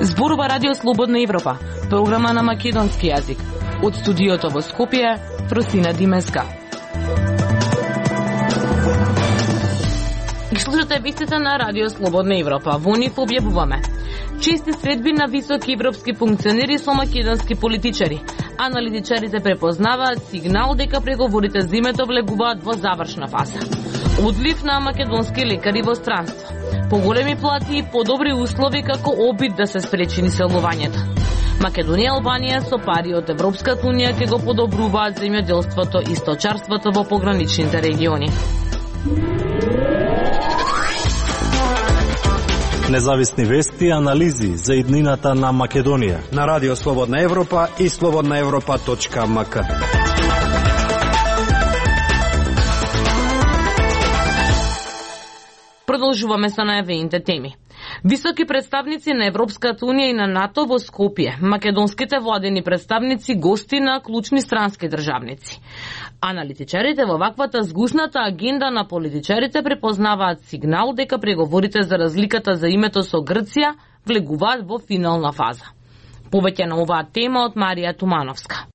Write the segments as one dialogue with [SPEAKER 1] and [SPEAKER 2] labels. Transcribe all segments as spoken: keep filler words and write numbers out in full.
[SPEAKER 1] Зборува Радио Слободна Европа, програма на македонски јазик. Од студиото во Скопје, Фросина Димеска. Ги слушате вестите на Радио Слободна Европа. Во нив објавуваме чести средби на високи европски функционери со македонски политичари. Аналитичарите препознаваат сигнал дека преговорите за името влегуваат во завршна фаза. Одлив на македонски лекари во странство. Поголеми плати и подобри услови како обид да се спречи иселувањето. Македонија и Албанија со пари од Европската унија ќе го подобруваат земјоделството и сточарството во пограничните региони.
[SPEAKER 2] Независни вести и анализи за иднината на Македонија
[SPEAKER 3] на Радио Слободна Европа и слободна европа точка ем ка.
[SPEAKER 1] Продолжуваме со најавените теми. Високи представници на Европската унија и на НАТО во Скопје, македонските владени представници гости на клучни странски државници. Аналитичарите во ваквата згусната агенда на политичарите препознаваат сигнал дека преговорите за разликата за името со Грција влегуваат во финална фаза. Повеќе на оваа тема од Марија Тумановска.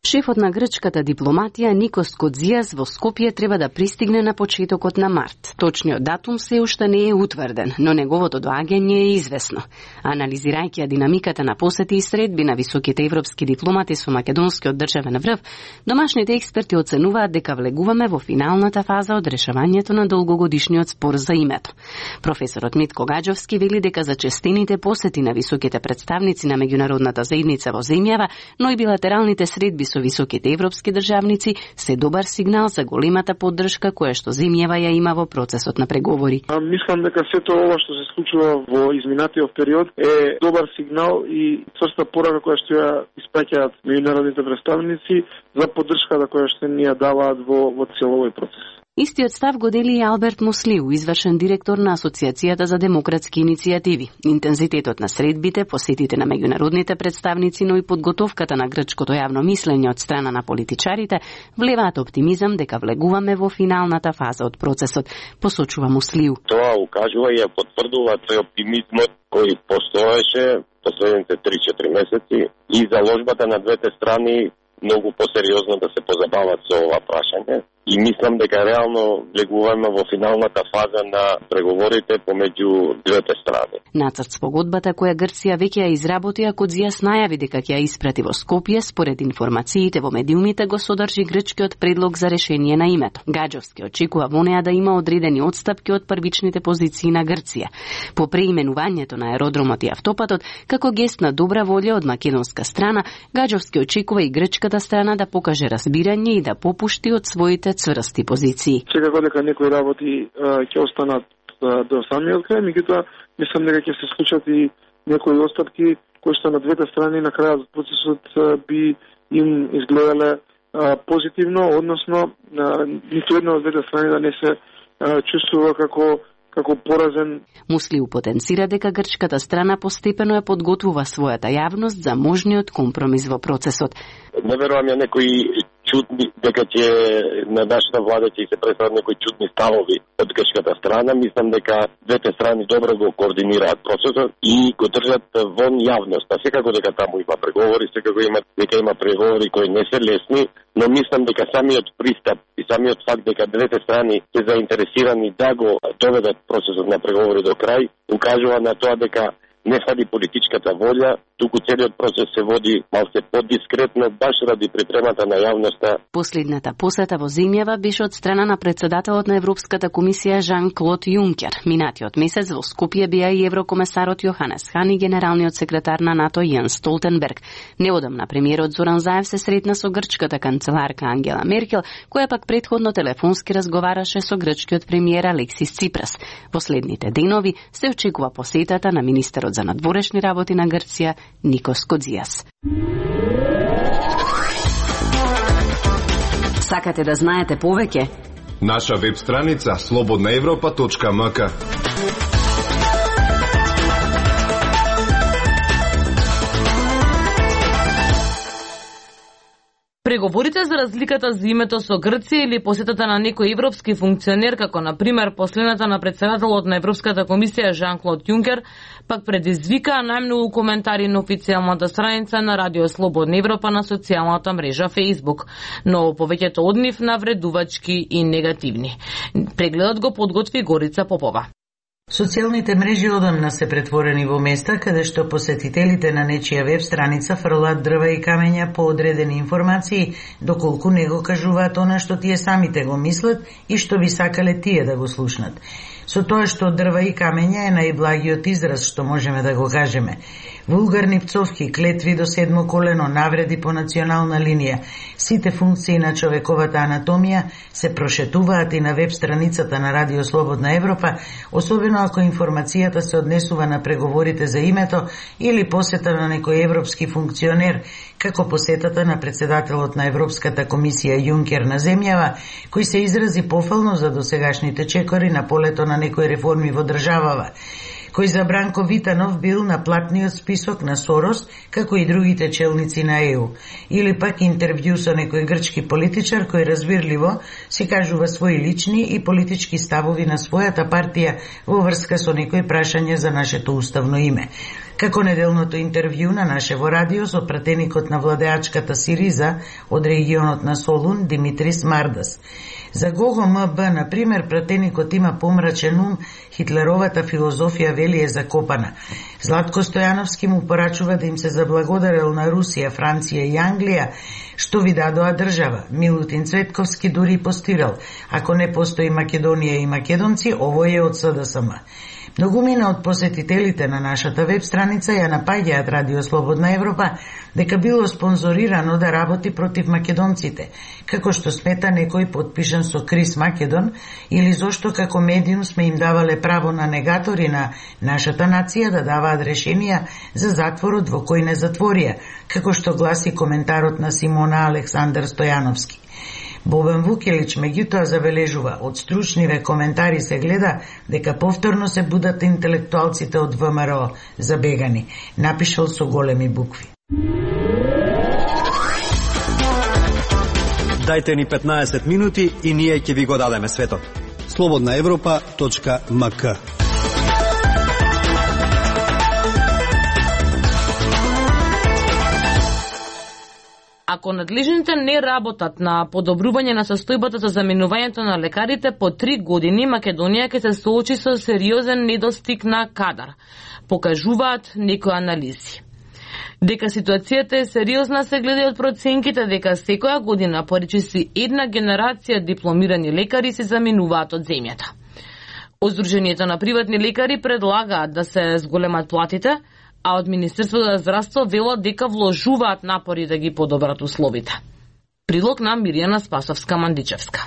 [SPEAKER 4] Шефот на грчката дипломатија Никос Кодзијас во Скопје треба да пристигне на почетокот на март. Точниот датум се уште не е утврден, но неговото доаѓање е известно. Анализирајќи динамиката на посети и средби на високите европски дипломати со македонскиот државен врв, домашните експерти оценуваат дека влегуваме во финалната фаза од решавањето на долгогодишниот спор за името. Професорот Митко Гаџовски вели дека зачестените посети на високите представници на меѓународната заедница во земјава, но и билатералните средби со високите европски државници се добар сигнал за големата поддршка која што земјава ја има во процесот на преговори.
[SPEAKER 5] А, мислам дека сето ова што се случува во изминатиот период е добар сигнал и црста порака која што ја испраќаат меѓународните представници за поддршката која што ни ја даваат во во целој овој процес.
[SPEAKER 4] Истиот став го дели и Алберт Муслиу, извршен директор на Асоциацијата за демократски иницијативи. Интензитетот на средбите, посетите на меѓународните представници, но и подготовката на грчкото јавно мислење од страна на политичарите влеваат оптимизам дека влегуваме во финалната фаза од процесот, посочува Муслиу.
[SPEAKER 6] Тоа укажува и ја потврдува тој оптимизмот кој постоеше последните три-четири месеци и заложбата на двете страни многу посериозно да се позабават со ова прашање. И мислам дека реално влегуваме во финалната фаза на преговорите помеѓу двете страни.
[SPEAKER 4] Нацрт спогодбата која Грција веќе ја изработи, а Кодзијас најави дека ќе ја испрати во Скопје, според информациите во медиумите го содржи грчкиот предлог за решение на името. Гаџовски очекува во неа да има одредени отстапки од првичните позиции на Грција. По преименувањето на аеродромот и автопатот, како гест на добра волја од македонска страна, Гаџовски очекува и грчката страна да покаже разбирање и да попушти од своите цврсти позиции.
[SPEAKER 5] Секако дека некои работи ќе останат а, до самиот крај, меѓутоа мислам дека ќе се случат и некои отстапки кои што на двете страни на крајот од процесот а, би им изгледале а, позитивно, односно а, ниту една од двете страни да не се а, чувствува како како поразен.
[SPEAKER 4] Муслиу потенцира дека грчката страна постепено ја подготвува својата јавност за можниот компромис во процесот.
[SPEAKER 6] Не верувам ја некои чудни, дека ќе на нашата влада ќе се представат некои чудни ставови од грчката страна. Мислам дека двете страни добро го координираат процесот и го држат вон јавност. А секако дека таму има преговори, секако има дека има преговори кои не се лесни, но мислам дека самиот пристап и самиот факт дека двете страни се заинтересирани да го доведат процесот на преговори до крај, укажува на тоа дека не фали политичката волја, туку целиот процес се води малце подискретно, баш ради припремата на јавноста.
[SPEAKER 4] Последната посета во земјава беше од страна на председателот на Европската комисија Жан-Клод Јункер. Минатиот месец во Скопје беа и еврокомесарот Јоханес Хан и генералниот секретар на НАТО Јенс Столтенберг. Неодамна премиерот Зоран Заев се сретна со грчката канцеларка Ангела Меркел, која пак претходно телефонски разговараше со грчкиот премиер Алексис Ципрас. Последните денови се очекува посетата на министерот за надворешни работи на Грција Никос Кодзијас. Сакате да знаете повеќе?
[SPEAKER 7] Наша веб страница слободна европа точка ем ка.
[SPEAKER 1] Преговорите за разликата за името со Грција или посетата на некој европски функционер, како на пример последната на председателот на Европската комисија Жан-Клод Јункер, пак предизвикаа најмногу коментари на официјалната страница на Радио Слободна Европа на социјалната мрежа Facebook, но повеќето од нив навредувачки и негативни. Прегледот го подготви Горица Попова.
[SPEAKER 8] Социјалните мрежи одамна се претворени во места каде што посетителите на нечија веб страница фрлаат дрва и камења по одредени информации, доколку не го кажуваат она што тие самите го мислат и што би сакале тие да го слушнат. Со тоа што дрва и камења е најблагиот израз што можеме да го кажеме. Вулгарни пцовки, клетви до седмо колено, навреди по национална линија, сите функции на човековата анатомија се прошетуваат и на веб страницата на Радио Слободна Европа, особено ако информацијата се однесува на преговорите за името или посета на некој европски функционер, како посетата на председателот на Европската комисија Јункер на земјава, кој се изрази пофално за досегашните чекори на полето на некои реформи во државава, кој за Бранко Витанов бил на платниот список на Сорос, како и другите челници на Е У. Или пак интервју со некој грчки политичар кој разбирливо си кажува своји лични и политички ставови на својата партија во врска со некои прашања за нашето уставно име. Како неделното интервју на нашево радио со пратеникот на владеачката Сириза од регионот на Солун, Димитрис Мардас. За Гого М Б, на пример, пратеникот има помрачен ум, хитлеровата филозофија вели е закопана. Златко Стојановски му порачува да им се заблагодарел на Русија, Франција и Англија, што ви дадоа држава. Милутин Цветковски дури постирал: ако не постои Македонија и македонци, овој е од С Д С М. Многумина од посетителите на нашата веб страница ја напаѓаат Радио Слободна Европа дека било спонзорирано да работи против македонците, како што смета некој подпишан со Крис Македон, или зошто како медиум сме им давале право на негатори на нашата нација да даваат решенија за затворот во кој не затворија, како што гласи коментарот на Симона Александар Стојановски. Бобан Вукелич меѓутоа забележува: од стручниве коментари се гледа дека повторно се будат интелектуалците од В М Р О забегани, напишал со големи букви.
[SPEAKER 3] Дајте ни петнаесет минути и ние ќе ви го дадеме светот. слободна европа точка м к.
[SPEAKER 1] Ако надлежните не работат на подобрување на состојбата за заменувањето на лекарите, по три години Македонија ќе се соочи со сериозен недостиг на кадар, покажуваат некои анализи. Дека ситуацијата е сериозна се гледа од проценките дека секоја година поречиси една генерација дипломирани лекари се заменуваат од земјата.Оздруженијето на приватни лекари предлагаат да се зголемат платите, а од Министерството за здравство велат дека вложуваат напори да ги подобрат условите. Прилог на Мирјана Спасовска-Мандичевска.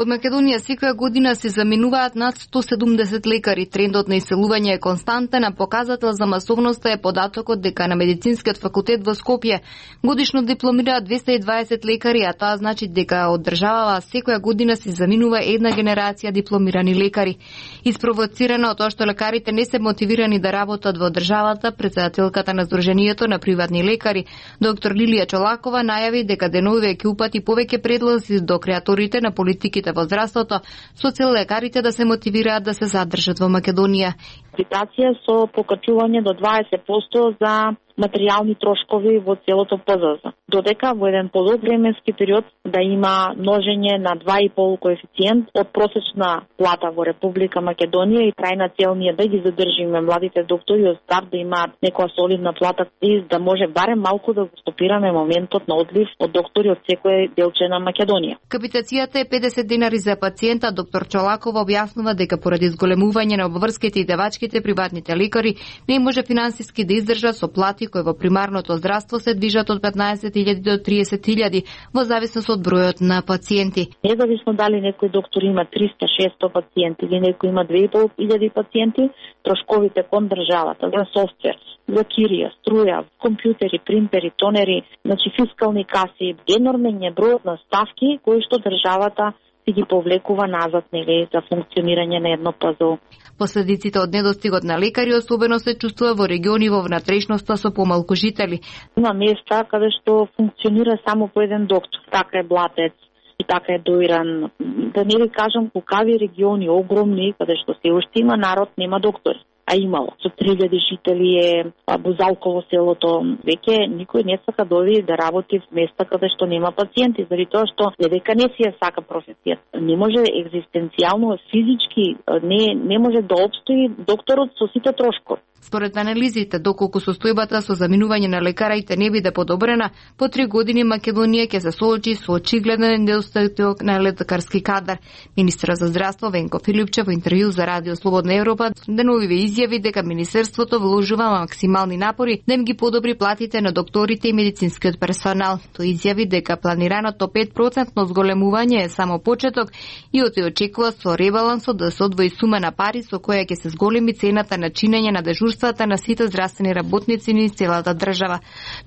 [SPEAKER 9] Од Македонија секоја година се заменуваат над сто седумдесет лекари. Трендот на иселување е константен, а показател за масовноста е податокот дека на Медицинскиот факултет во Скопје годишно дипломираат двесте и дваесет лекари, а тоа значи дека од државава секоја година се заменува една генерација дипломирани лекари. Испровоцирана од тоа што лекарите не се мотивирани да работат во државата, председателката на Сдруженијето на приватни лекари, доктор Лилија Чолакова, најави дека деновиве ќе упати повеќе предлози до креаторите на политиките во здравството, со цел лекарите да се мотивираат да се задржат во Македонија.
[SPEAKER 10] Инвестиција со покачување до дваесет проценти за материјални трошкови во целото П З З. Додека во еден подолг временски период да има множење на два и пол коефициент од просечна плата во Република Македонија и трајна цел ни е да ги задржиме младите доктори од старт да имаат некоја солидна плата и да може барем малку да го стопираме моментот на одлив од доктори од секој делче на Македонија.
[SPEAKER 9] Капитацијата е педесет динари за пациента. Доктор Чолакова објаснува дека поради зголемување на обврските и девачките приватните лекари не може финансиски да издржат со плати кои во примарното здравство се движат од петнаесет илјади до триесет илјади во зависност од бројот на пациенти.
[SPEAKER 10] Независно дали некој доктор има триста шеста пациенти или некој има две и пол илјади пациенти, трошковите кон државата за софтвер, за кирија, струја, компјутери, принтери, тонери, значи фискални каси, енормен е бројот на ставки кои што државата си ги повлекува назад, нели, за функционирање на едно ПЗО.
[SPEAKER 9] Последиците од недостигот на лекари особено се чувствува во региони во внатрешноста со помалку жители.
[SPEAKER 10] Има места каде што функционира само по еден доктор. Така е Блатец и така е Доиран. Да не ви кажам кукави региони огромни каде што се уште има народ, нема доктори. А имало. Со три илјади жители е Бузалково селото. Веќе никој не сака да оди да работи в места каде што нема пациенти, заради тоа што не дека не си ја сака професијата. Не може екзистенцијално, физички, не не може да опстои докторот со сите трошкови.
[SPEAKER 9] Според анализите, доколку состојбата со заминување на лекарите не биде подобрена, по три години Македонија ќе се соочи со очигледен недостаток на лекарски кадар. Министерот за здравство Венко Филипчев во интервју за Радио Слободна Европа деновиве изјави дека министерството вложува максимални напори да им ги подобри платите на докторите и медицинскиот персонал. Тој изјави дека планираното пет проценти зголемување е само почеток и оти очекува со ребалансот да се одвои сума на пари со која ќе се зголеми цената на чинење на дежурствата на сите здравствени работници низ целата држава.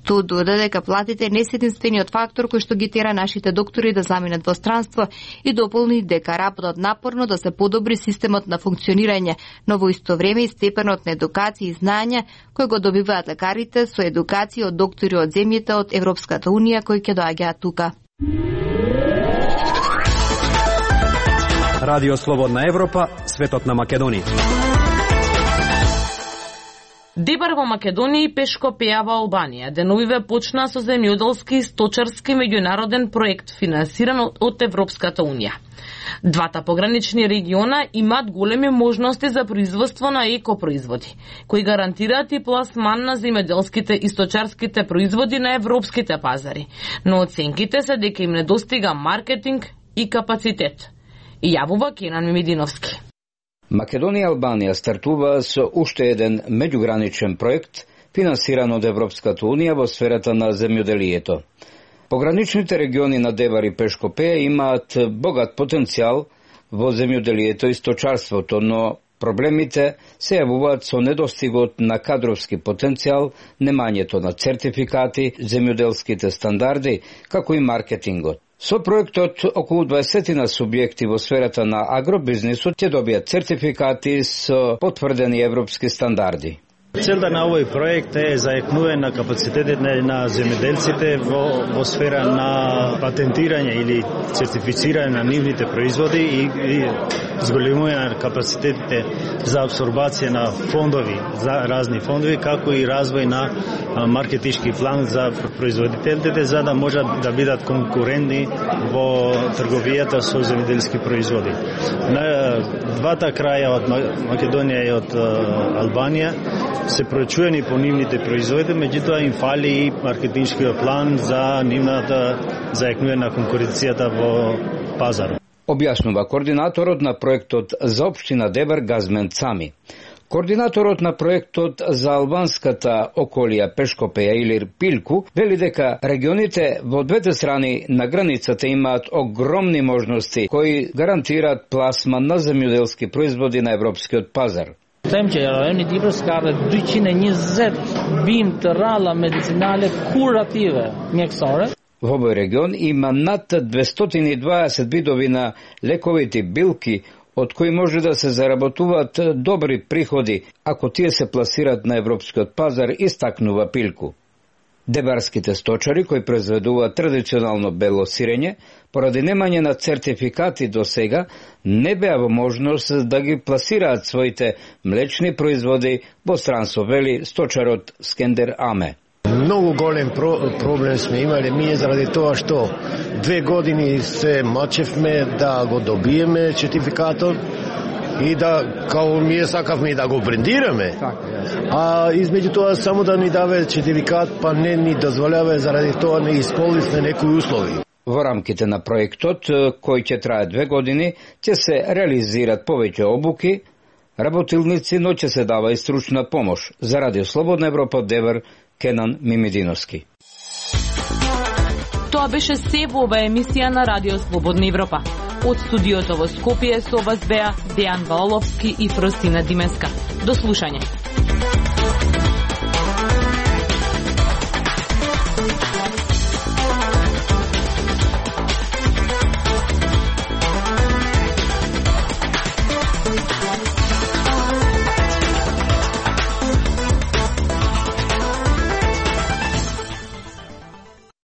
[SPEAKER 9] Тоа додаде дека платите не се единствениот фактор кој што ги тера нашите доктори да заминат во странство и дополни дека работат напорно да се подобри системот на функционирање, но во исто време и степенот на едукација и знаење кој го добиваат лекарите со едукација од доктори од земјите од Европската унија кои ќе доаѓаат тука.
[SPEAKER 3] Радио Слободна Европа, светот на Македонија.
[SPEAKER 1] Дебар во Македонија и Пешкопеја во Албанија деновиве почна со земјоделски и сточарски меѓународен проект финансиран од Европската унија. Двата погранични региона имаат големи можности за производство на екопроизводи, кои гарантираат и пласман на земјоделските и сточарските производи на европските пазари, но оценките се дека им недостига маркетинг и капацитет. И јавува Кенан Мимидиновски.
[SPEAKER 11] Македонија и Албанија стартува со уште еден меѓуграничен проект финансиран од Европската унија во сферата на земјоделието. Пограничните региони на Дебар и Пешкопеја имаат богат потенцијал во земјоделието и сточарството, но проблемите се јавуваат со недостигот на кадровски потенцијал, немањето на цертификати, земјоделските стандарди, како и маркетингот. Со проектот, околу дваесет на субјекти во сферата на агробизнисот ќе добијат цертификати со потврдени европски стандарди.
[SPEAKER 12] Целта на овој проект е зајакнување на капацитетите на земјоделците во, во сфера на патентирање или сертифицирање на нивните производи и, и зголемување на капацитетите за абсорбација на фондови, за разни фондови, како и развој на маркетички план за производителите, за да можат да бидат конкурентни во трговијата со земјоделски производи. На двата краја од Македонија и од Албанија се проучувани по нивните производи, меѓутоа им фали и маркетиншкиот план за нивната зајакнување на конкуренцијата во пазарот.
[SPEAKER 11] Објаснува координаторот на проектот за општина Дебар Газмен Цами. Координаторот на проектот за албанската околија Пешкопеја или Пилку вели дека регионите во двете страни на границата имаат огромни можности кои гарантираат пласман на земјоделски производи на европскиот пазар.
[SPEAKER 13] Them që rajoni Dibër ka rreth dyqind e njëzet bimë të rralla medicinale kurative mjekësore.
[SPEAKER 11] Во овој регион има над двестоин и дваесет видови на лековити билки, од кои може да се заработуваат добри приходи ако тие се пласираат на европскиот пазар, истакнува Пилку. Дебарските сточари кои произведуваат традиционално бело сирење, поради немање на цертификати до сега, не беа во можност да ги пласираат своите млечни производи во странство, вели сточарот Скендер Аме.
[SPEAKER 14] Многу голем про, проблем сме имале ние заради тоа што две години се мачевме да го добиеме сертификатот и да, као ние сакавме да го брендираме, а измеѓу тоа само да ни даве сертификат, па не ни дозволяваме, заради тоа не исполнивме некои услови.
[SPEAKER 11] Во рамките на проектот, кој ќе трае две години, ќе се реализират повеќе обуки, работилници, но ќе се дава и стручна помош. За Радио Слободна Европа, Девер, Кенан Мимидиновски.
[SPEAKER 1] Тоа беше се во оваа емисија на Радио Слободна Европа. Од студиото во Скопје со вас беа Дејан Ваоловски и Фростина Дименска. До слушање.